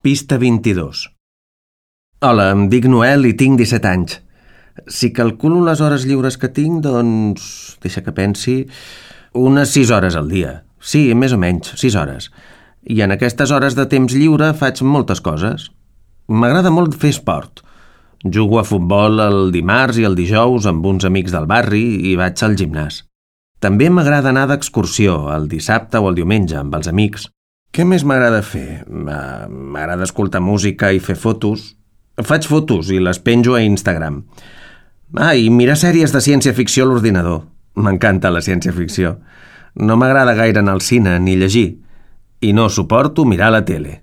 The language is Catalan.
Pista 22. Hola, em dic Noel i tinc 17 anys. Si calculo les hores lliures que tinc, doncs... deixa que pensi... unes 6 hores al dia. Sí, més o menys, 6 hores. I en aquestes hores de temps lliure faig moltes coses. M'agrada molt fer esport. Jugo a futbol el dimarts i el dijous amb uns amics del barri i vaig al gimnàs. També m'agrada anar d'excursió el dissabte o el diumenge amb els amics. Què més m'agrada fer? M'agrada escoltar música i fer fotos. Faig fotos i les penjo a Instagram. I mirar sèries de ciència-ficció a l'ordinador. M'encanta la ciència-ficció. No m'agrada gaire anar al cine ni llegir. I no suporto mirar la tele.